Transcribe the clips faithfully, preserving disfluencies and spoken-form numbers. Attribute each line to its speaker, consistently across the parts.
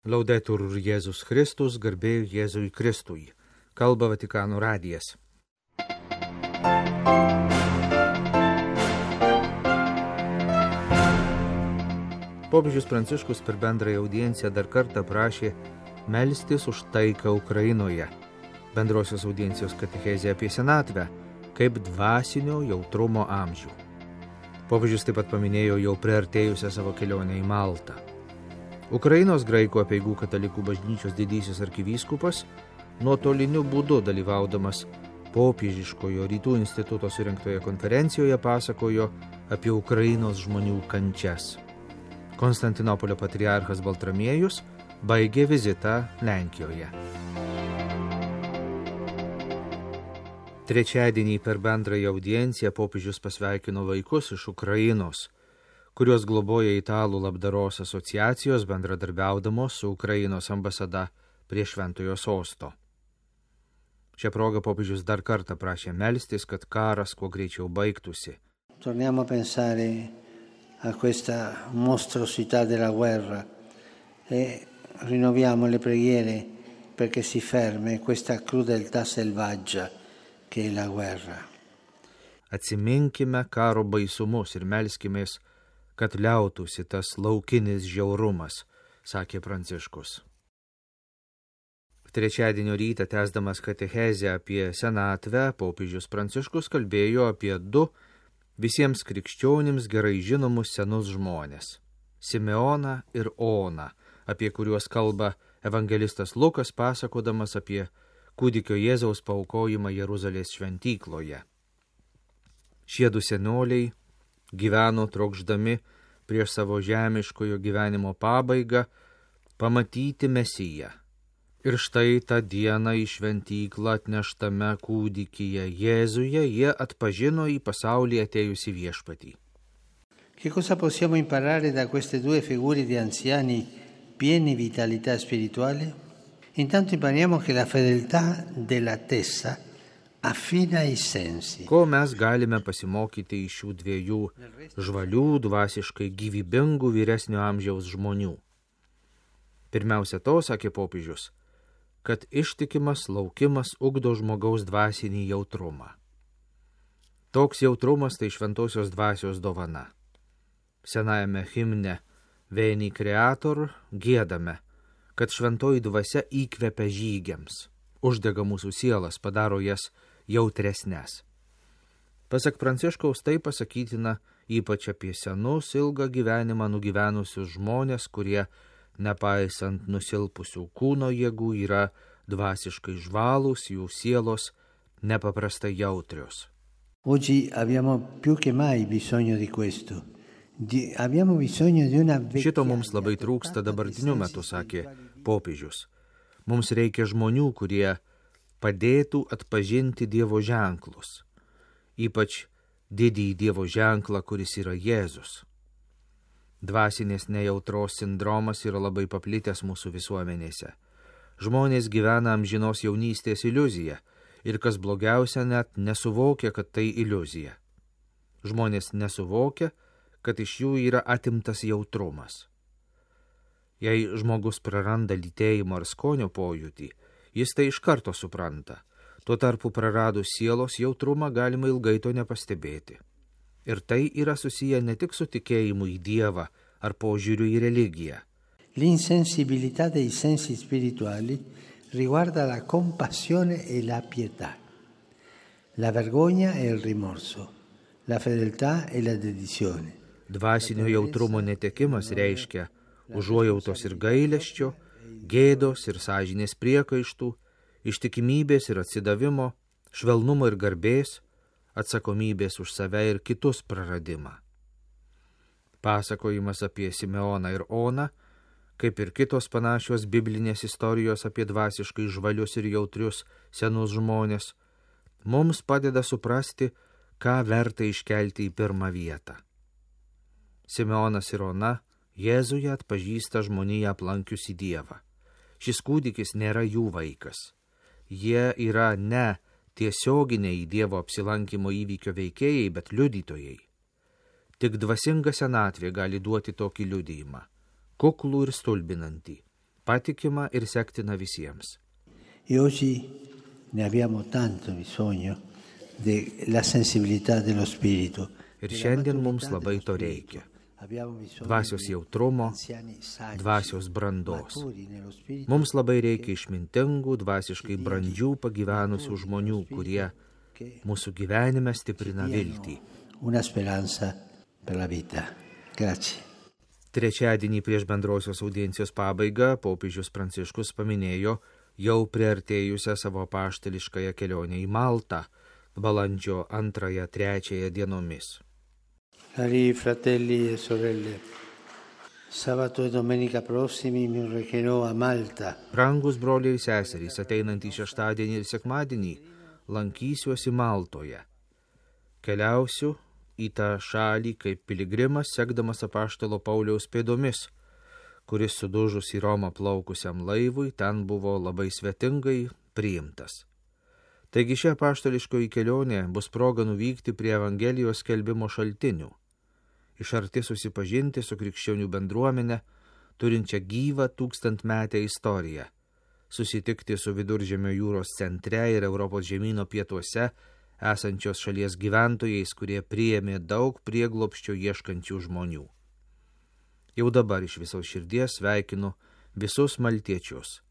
Speaker 1: Laudetur Jėzus Kristus, garbė Jėzui Kristui. Kalba Vatikano radijas. Popiežius Pranciškus per bendrąją audienciją dar kartą prašė melstis už taiką Ukrainoje. Bendrosios audiencijos katechezė apie senatvę kaip dvasinio jautrumo amžių. Popiežius taip pat paminėjo jau priartėjusią savo kelionę į Maltą. Ukrainos graikų apeigų katalikų bažnyčios didysis arkivyskupas nuotoliniu būdu dalyvaudamas popiežiškojo rytų instituto surengtoje konferencijoje pasakojo apie Ukrainos žmonių kančias. Konstantinopolio patriarchas Baltramiejus baigė vizitą Lenkijoje. Trečiadienį per bendrąją audienciją popiežius pasveikino vaikus iš Ukrainos, kuriuos globoja Italų labdaros asociacijos bendradarbiaudamos su Ukrainos ambasada prie Šventojo sosto. Šią progą popiežius dar kartą prašė melstis, kad karas kuo greičiau baigtųsi.
Speaker 2: Torniamo a pensare a questa mostruosità della guerra e rinnoviamo le preghiere perché si fermi questa crudeltà selvaggia che è la guerra.
Speaker 1: Atsiminkime karo baisumus ir melskimės, kad liautųsi tas laukinis žiaurumas, sakė Pranciškus. Trečiadienio rytą tęsdamas katechezę apie senatvę, popiežius Pranciškus kalbėjo apie du visiems krikščionims gerai žinomus senus žmonės – Simeoną ir Oną, apie kuriuos kalba evangelistas Lukas pasakodamas apie kūdikio Jėzaus paaukojimą Jeruzalės šventykloje. Šie du senoliai gyveno trokšdami prieš savo žemiškojo gyvenimo pabaigą pamatyti Mesiją. Ir štai tą dieną į šventyklą atneštame kūdikyje Jėzuje jie atpažino į pasaulį atėjusį viešpatį.
Speaker 2: Che cosa possiamo imparare da queste due figure di anziani pieni di vitalità spirituale? Intanto impariamo che la fedeltà dell'attesa affina i sensi.
Speaker 1: Ko mes galime pasimokyti iš šių dviejų žvalių, dvasiškai gyvybingų vyresnio amžiaus žmonių? Pirmiausia to, sakė popiežius, kad ištikimas laukimas ugdo žmogaus dvasinį jautrumą. Toks jautrumas tai šventosios dvasios dovana. Senajame himne Veni Creator giedame, kad šventoji dvasia įkvepia žygiams, uždega mūsų sielas, padaro jas jautresnes. Pasak Pranciškaus, tai pasakytina ypač apie senus, ilgą gyvenimą nugyvenusius žmonės, kurie, nepaisant nusilpusių kūno jėgų, yra dvasiškai žvalūs, jų sielos nepaprastai jautrios.
Speaker 2: Oggi abbiamo più che mai bisogno di questo. Di, abbiamo bisogno di una
Speaker 1: Šito mums labai trūksta dabartiniu metu, sakė popiežius. Mums reikia žmonių, kurie padėtų atpažinti Dievo ženklus, ypač didįjį Dievo ženklą, kuris yra Jėzus. Dvasinės nejautros sindromas yra labai paplitęs mūsų visuomenėse. Žmonės gyvena amžinos jaunystės iliuziją ir, kas blogiausia, net nesuvokia, kad tai iliuzija. Žmonės nesuvokia, kad iš jų yra atimtas jautrumas. Jei žmogus praranda lytėjimo ar skonio pojūtį, jis tai iš karto supranta. Tuo tarpu praradus sielos jautrumą galima ilgai to nepastebėti. Ir tai yra susiję ne tik su tikėjimu į Dievą ar požiūriu į religiją.
Speaker 2: L'insensibilità dei sensi spirituali riguarda la compassione e la pietà, la vergogna e il rimorso, la fedeltà e la dedizione.
Speaker 1: Dvasinio jautrumo netekimas reiškia užuojautos ir gailesčio, gėdos ir sąžinės priekaištų, ištikimybės ir atsidavimo, švelnumo ir garbės, atsakomybės už save ir kitus praradimą. Pasakojimas apie Simeoną ir Oną, kaip ir kitos panašios biblinės istorijos apie dvasiškai žvalius ir jautrius senus žmonės, mums padeda suprasti, ką verta iškelti į pirmą vietą. Simeonas ir Ona Jėzuje atpažįsta žmoniją aplankiusi Dievą. Šis kūdikis nėra jų vaikas. Jie yra ne tiesioginiai Dievo apsilankimo įvykio veikėjai, bet liudytojai. Tik dvasinga senatvė gali duoti tokį liudijimą, kuklų ir stulbinantį. patikima ir sektina visiems.
Speaker 2: E oggi ne abbiamo tanto bisogno della sensibilità dello spirito.
Speaker 1: Ir šiandien mums labai to reikia. Dvasios jautrumo, dvasios brandos. Mums labai reikia išmintingų, dvasiškai brandžių pagyvenusių žmonių, kurie mūsų gyvenime stiprina viltį.
Speaker 2: Una speranza per la vita. Grazie.
Speaker 1: Trečiadienį prieš bendrosios audiencijos pabaigą popiežius Pranciškus paminėjo jau priartėjusią savo apaštališkąją kelionę į Maltą balandžio antrąją trečiąją dienomis.
Speaker 2: Cari fratelli e sorelle, sabato e domenica prossimi mi recherò a Malta.
Speaker 1: Brangus broliai ir seserys, ateinantį šeštadienį ir sekmadienį lankysiuosi Maltoje. Keliausiu į tą šalį kaip piligrimas, sekdamas apaštalo Pauliaus pėdomis, kuris sudužus į Romą plaukusiam laivui ten buvo labai svetingai priimtas. Taigi ši apaštališkoji kelionė bus proga nuvykti prie Evangelijos skelbimo šaltinių, iš arti susipažinti su krikščionių bendruomenė, turinčia gyvą tūkstantmetę istoriją, susitikti su Viduržemio jūros centre ir Europos žemyno pietuose esančios šalies gyventojais, kurie priėmė daug prieglobsčio ieškančių žmonių. Jau dabar iš visos širdies sveikinu visus maltiečius.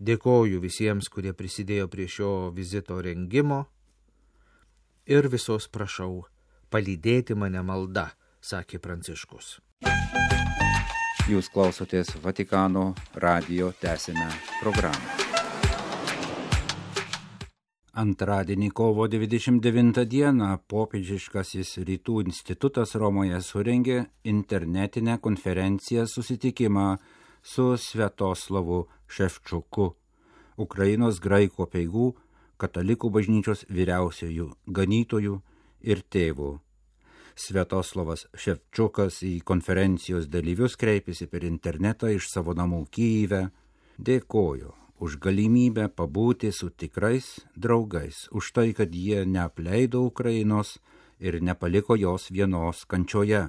Speaker 1: Dėkoju visiems, kurie prisidėjo prie šio vizito rengimo ir visos prašau palydėti mane malda, sakė Pranciškus.
Speaker 3: Jūs klausotės Vatikano radijo tęsinę programą. Antradienį kovo dvidešimt devintą dieną popiežiškasis Rytų institutas Romoje surengė internetinę konferenciją susitikimą su Sviatoslavu Ševčuku, Ukrainos graikų apeigų katalikų bažnyčios vyriausiojų ganytojų ir tėvų. Sviatoslavas Ševčukas į konferencijos dalyvius kreipėsi per internetą iš savo namų Kyjive, dėkojo už galimybę pabūti su tikrais draugais, už tai, kad jie neapleido Ukrainos ir nepaliko jos vienos kančioje,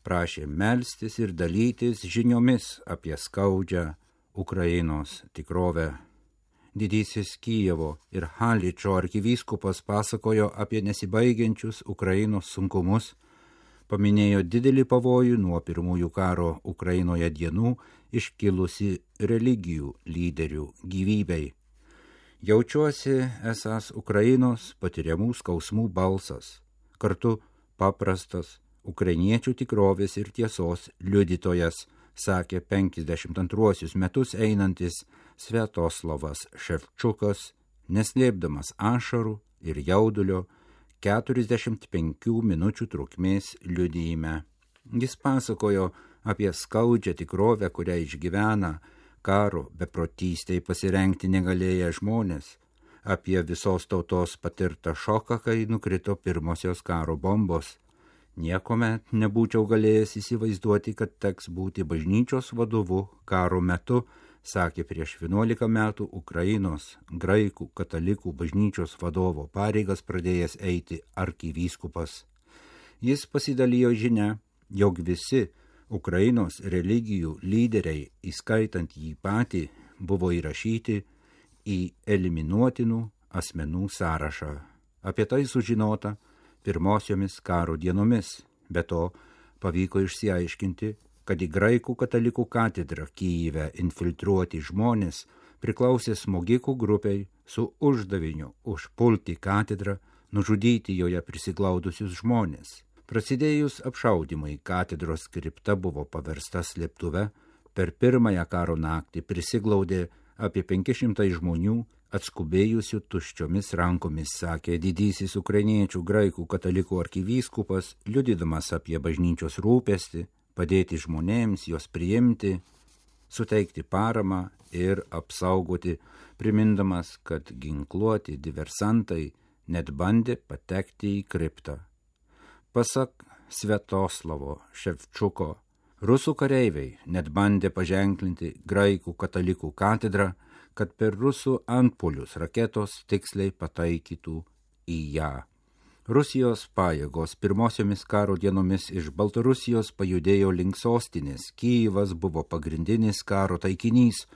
Speaker 3: prašė melstis ir dalytis žiniomis apie skaudžią Ukrainos tikrovę. Didysis Kijevo ir Haličo arkivyskupas pasakojo apie nesibaigiančius Ukrainos sunkumus, paminėjo didelį pavojų nuo pirmųjų karo Ukrainoje dienų iškilusi religijų lyderių gyvybei. Jaučiuosi esąs Ukrainos patiriamų skausmų balsas, kartu paprastas ukrainiečių tikrovės ir tiesos liudytojas, sakė penkiasdešimt antruosius metus einantis Sviatoslavas Ševčukas, neslėpdamas ašarų ir jaudulio keturiasdešimt penkių minučių trukmės liudijime. Jis pasakojo apie skaudžią tikrovę, kurią išgyvena karo beprotystei pasirengti negalėję žmonės, apie visos tautos patirtą šoką, kai nukrito pirmosios karo bombos. Niekuomet nebūčiau galėjęs įsivaizduoti, kad teks būti bažnyčios vadovu karo metu, sakė prieš vienuolika metų Ukrainos graikų katalikų bažnyčios vadovo pareigas pradėjęs eiti arkivyskupas. Jis pasidalijo žinia, jog visi Ukrainos religijų lyderiai, įskaitant jį patį, buvo įrašyti į eliminuotinų asmenų sąrašą. Apie tai sužinota pirmosiomis karo dienomis, be to pavyko išsiaiškinti, kad į graikų katalikų katedrą Kyjive infiltruoti žmonės priklausė smogikų grupiai su uždaviniu užpulti katedrą, nužudyti joje prisiglaudusius žmonės. Prasidėjus apšaudymui, katedros kripta buvo paversta slėptuve, per pirmąją karo naktį prisiglaudė apie penki šimtai žmonių, atskubėjusių tuščiomis rankomis, sakė didysis ukrainiečių graikų katalikų arkivyskupas, liudydamas apie bažnyčios rūpestį, padėti žmonėms, juos priimti, suteikti paramą ir apsaugoti, primindamas, kad ginkluoti diversantai net bandė patekti į kriptą. Pasak Sviatoslavo Ševčuko, rusų kareiviai net bandė paženklinti graikų katalikų katedrą, kad per rusų antpuolius raketos tiksliai pataikytų į ją. Rusijos pajėgos pirmosiomis karo dienomis iš Baltarusijos pajudėjo link sostinės. Kyjivas buvo pagrindinis karo taikinys,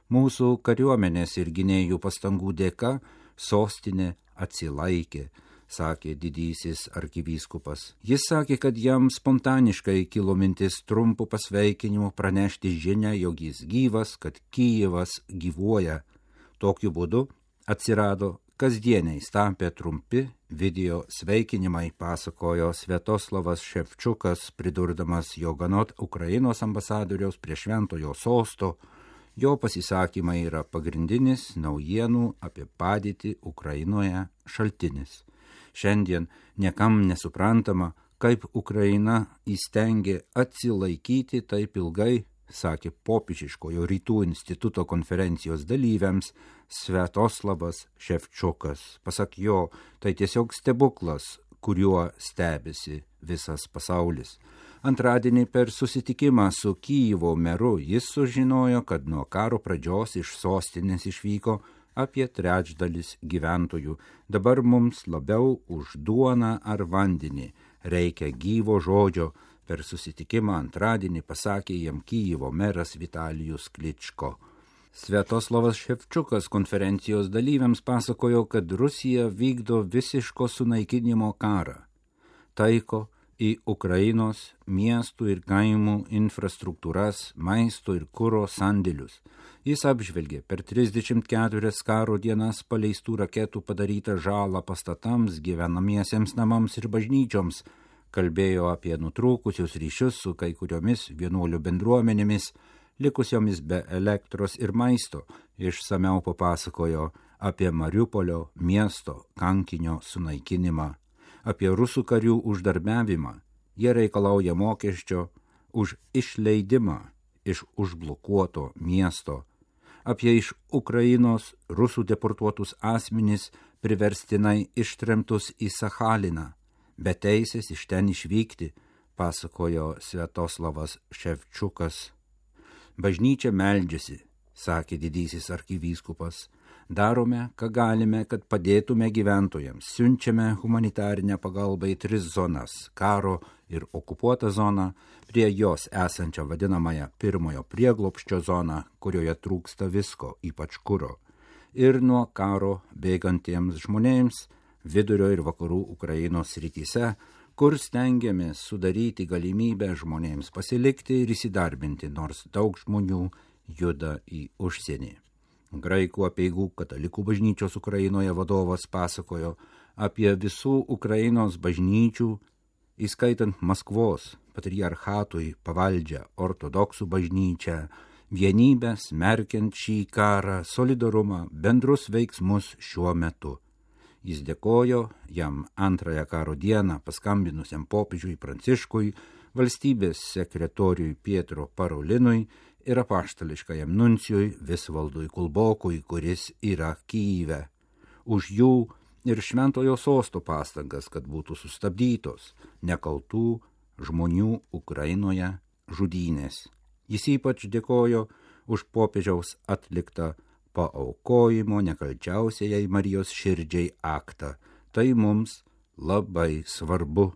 Speaker 3: Mūsų kariuomenės ir gynėjų pastangų dėka sostinė atsilaikė, sakė didysis arkivyskupas. Jis sakė, kad jam spontaniškai kilo mintis trumpų pasveikinimų pranešti žinią, jog jis gyvas, kad Kijevas gyvuoja. Tokiu būdu atsirado kasdieniais tapę trumpi video sveikinimai, pasakojo Sviatoslavas Ševčiukas, pridurdamas, jog anot Ukrainos ambasadoriaus prie šventojo sosto, jo pasisakymai yra pagrindinis naujienų apie padėtį Ukrainoje šaltinis. Šiandien niekam nesuprantama, kaip Ukraina įstengė atsilaikyti taip ilgai, sakė popiežiškojo Rytų instituto konferencijos dalyviams Sviatoslavas Ševčiukas. Pasak jo, tai tiesiog stebuklas, kuriuo stebisi visas pasaulis. Antradienį per susitikimą su Kijevo meru jis sužinojo, kad nuo karo pradžios iš sostinės išvyko apie trečdalis gyventojų. Dabar mums labiau už duoną ar vandenį reikia gyvo žodžio. Per susitikimą antradienį pasakė jam Kijevo meras Vitalijus Kličko. Sviatoslavas Ševčiukas konferencijos dalyviams pasakojo, kad Rusija vykdo visiško sunaikinimo karą. Taiko į Ukrainos miestų ir kaimų infrastruktūras, maisto ir kuro sandėlius. Jis apžvelgė per trisdešimt keturias karo dienas paleistų raketų padarytą žalą pastatams, gyvenamiesiems namams ir bažnyčioms, kalbėjo apie nutrūkusius ryšius su kai kuriomis vienuolių bendruomenėmis, likusiomis be elektros ir maisto. Išsamiau papasakojo apie Mariupolio miesto kankinio sunaikinimą, apie rusų karių uždarbiavimą. Jie reikalauja mokesčio už išleidimą iš užblokuoto miesto, apie iš Ukrainos rusų deportuotus asmenis priverstinai ištremtus į Sachaliną, be teisės iš ten išvykti, pasakojo Sviatoslavas Ševčiukas. Bažnyčia meldžiasi, sakė didysis arkivyskupas. Darome, ką galime, kad padėtume gyventojams. Siunčiame humanitarinę pagalbą į tris zonas – karo ir okupuotą zoną, prie jos esančią vadinamąją pirmojo prieglobsčio zoną, kurioje trūksta visko, ypač kuro, ir nuo karo bėgantiems žmonėms vidurio ir vakarų Ukrainos srityse, kur stengiamės sudaryti galimybę žmonėms pasilikti ir įsidarbinti, nors daug žmonių juda į užsienį. Graikų apeigų katalikų bažnyčios Ukrainoje vadovas pasakojo apie visų Ukrainos bažnyčių, įskaitant Maskvos patriarchatui pavaldžią ortodoksų bažnyčią, vienybę smerkiant šį karą, solidarumą, bendrus veiksmus šiuo metu. Jis dėkojo jam antrąją karo dieną paskambinusiam popiežiui Pranciškui, valstybės sekretoriui Pietro Parolinui ir apaštališkajam nuncijui Visvaldui Kulbokui, kuris yra Kijeve, už jų ir šventojo sosto pastangas, kad būtų sustabdytos nekaltų žmonių Ukrainoje žudynės. Jis ypač dėkojo už popiežiaus atliktą paaukojimo nekalčiausiai Marijos širdžiai aktą. Tai mums labai svarbu.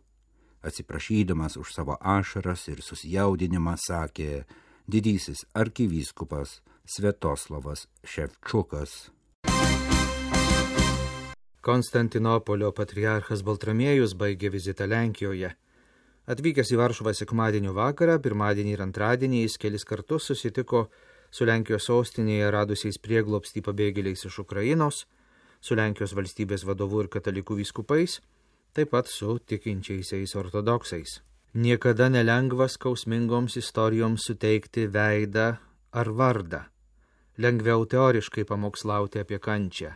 Speaker 3: Atsiprašydamas už savo ašaras ir susijaudinimą, sakė didysis arkivyskupas Sviatoslavas Ševčiukas.
Speaker 1: Konstantinopolio patriarchas Baltramiejus baigė vizitą Lenkijoje. Atvykęs į Varšuvą sekmadienio vakarą, pirmadienį ir antradienį jis kelis kartus susitiko su Lenkijos sostinėje radusiais prieglobstį pabėgėliais iš Ukrainos, su Lenkijos valstybės vadovu ir katalikų vyskupais, taip pat su tikinčiaisiais ortodoksais. Niekada nelengva skausmingoms istorijoms suteikti veidą ar vardą. Lengviau teoriškai pamokslauti apie kančią.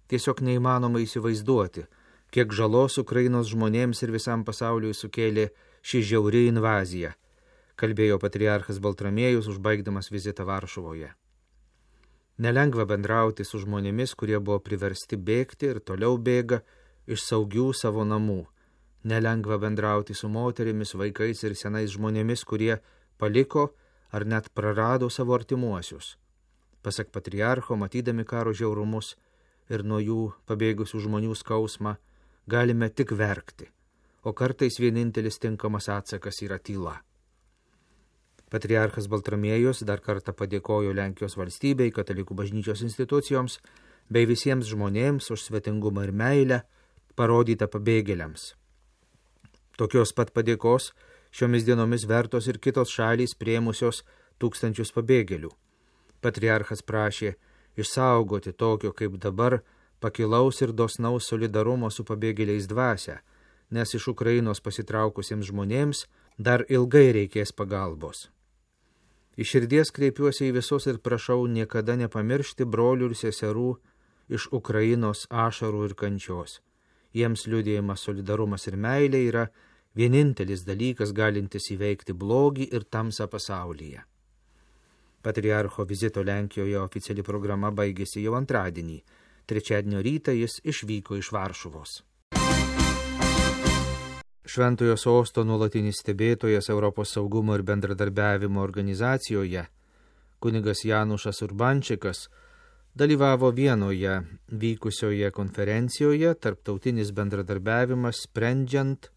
Speaker 1: Tiesiog neįmanoma įsivaizduoti, kiek žalos Ukrainos žmonėms ir visam pasauliui sukėlė ši žiauri invazija, kalbėjo patriarchas Baltramiejus, užbaigdamas vizitą Varšuvoje. Nelengva bendrauti su žmonėmis, kurie buvo priversti bėgti ir toliau bėga iš saugių savo namų. Nelengva bendrauti su moterimis, vaikais ir senais žmonėmis, kurie paliko ar net prarado savo artimuosius. Pasak patriarcho, matydami karo žiaurumus ir nuo jų pabėgusių žmonių skausmą, galime tik verkti, o kartais vienintelis tinkamas atsakas yra tyla. Patriarchas Baltramiejus dar kartą padėkojo Lenkijos valstybei, katalikų bažnyčios institucijoms bei visiems žmonėms už svetingumą ir meilę parodytą pabėgėliams. Tokios pat padėkos šiomis dienomis vertos ir kitos šalys priėmusios tūkstančius pabėgėlių. Patriarchas prašė išsaugoti tokio kaip dabar pakilaus ir dosnaus solidarumo su pabėgėliais dvasią, nes iš Ukrainos pasitraukusiems žmonėms dar ilgai reikės pagalbos. Iš širdies kreipiuosi į visus ir prašau niekada nepamiršti brolių ir seserų iš Ukrainos ašarų ir kančios. Jiems liudijimas solidarumas ir meilė yra vienintelis dalykas galintis įveikti blogį ir tamsą pasaulyje. Patriarcho vizito Lenkijoje oficiali programa baigėsi jau antradienį. Trečiadienio rytą jis išvyko iš Varšuvos. Šventojo sosto nuolatinis stebėtojas Europos saugumo ir bendradarbiavimo organizacijoje, kunigas Janušas Urbančikas, dalyvavo Vienoje vykusioje konferencijoje Tarptautinis bendradarbiavimas sprendžiant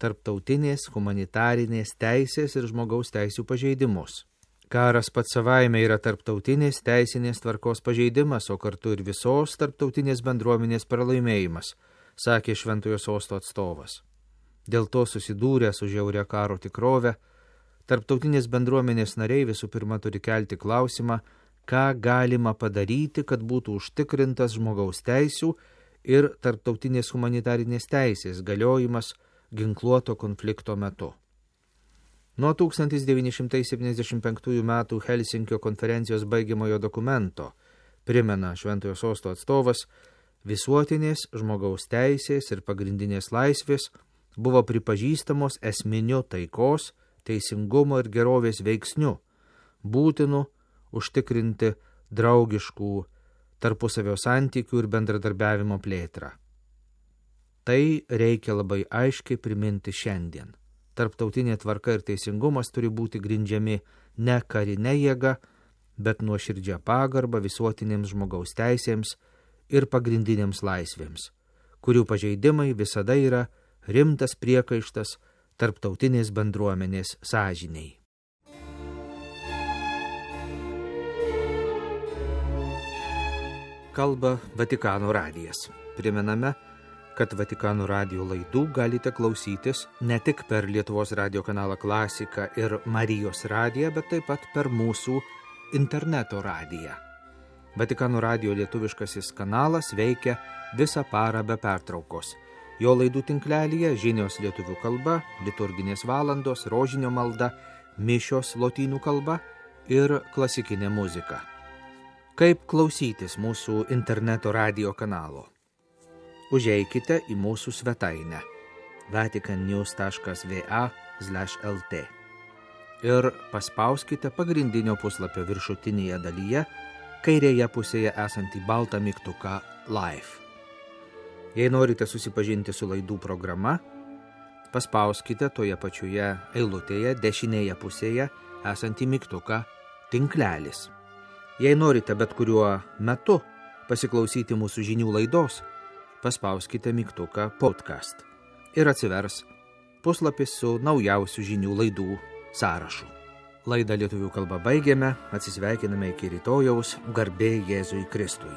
Speaker 1: tarptautinės humanitarinės teisės ir žmogaus teisių pažeidimus. Karas pats savaime yra tarptautinės teisinės tvarkos pažeidimas, o kartu ir visos tarptautinės bendruomenės pralaimėjimas, sakė Šventojo sosto atstovas. Dėl to susidūrę su žiauria karo tikrove, tarptautinės bendruomenės nariai visų pirma turi kelti klausimą, ką galima padaryti, kad būtų užtikrintas žmogaus teisių ir tarptautinės humanitarinės teisės galiojimas ginkluoto konflikto metu. Nuo tūkstantis devyni šimtai septyniasdešimt penktųjų metų Helsinkio konferencijos baigiamojo dokumento, primena Šventojo sosto atstovas, visuotinės žmogaus teisės ir pagrindinės laisvės buvo pripažįstamos esminiu taikos, teisingumo ir gerovės veiksniu, būtinu užtikrinti draugiškų tarpusavio santykių ir bendradarbiavimo plėtrą. Tai reikia labai aiškiai priminti šiandien. Tarptautinė tvarka ir teisingumas turi būti grindžiami ne karinė jėga, bet nuoširdžia pagarba visuotinėms žmogaus teisėms ir pagrindinėms laisvėms, kurių pažeidimai visada yra rimtas priekaištas tarptautinės bendruomenės sąžinei. Kalba Vatikano radijas. Primename, kad Vatikano radijo laidų galite klausytis ne tik per Lietuvos radijo kanalą Klasika ir Marijos radiją, bet taip pat per mūsų interneto radiją. Vatikano radijo lietuviškasis kanalas veikia visą parą be pertraukos. Jo laidų tinklelyje žinios lietuvių kalba, liturginės valandos, rožinio malda, mišios lotynų kalba ir klasikinė muzika. Kaip klausytis mūsų interneto radijo kanalo? Užeikite į mūsų svetainę vaticannews taškas va slash lt ir paspauskite pagrindinio puslapio viršutinėje dalyje, kairėje pusėje esantį baltą mygtuką Live. Jei norite susipažinti su laidų programa, paspauskite toje pačioje eilutėje dešinėje pusėje esantį mygtuką Tinklelis. Jei norite bet kuriuo metu pasiklausyti mūsų žinių laidos, paspauskite mygtuką Podcast ir atsivers puslapis su naujausių žinių laidų sąrašu. Laidą lietuvių kalba baigiame, atsisveikiname iki rytojaus, garbė Jėzui Kristui.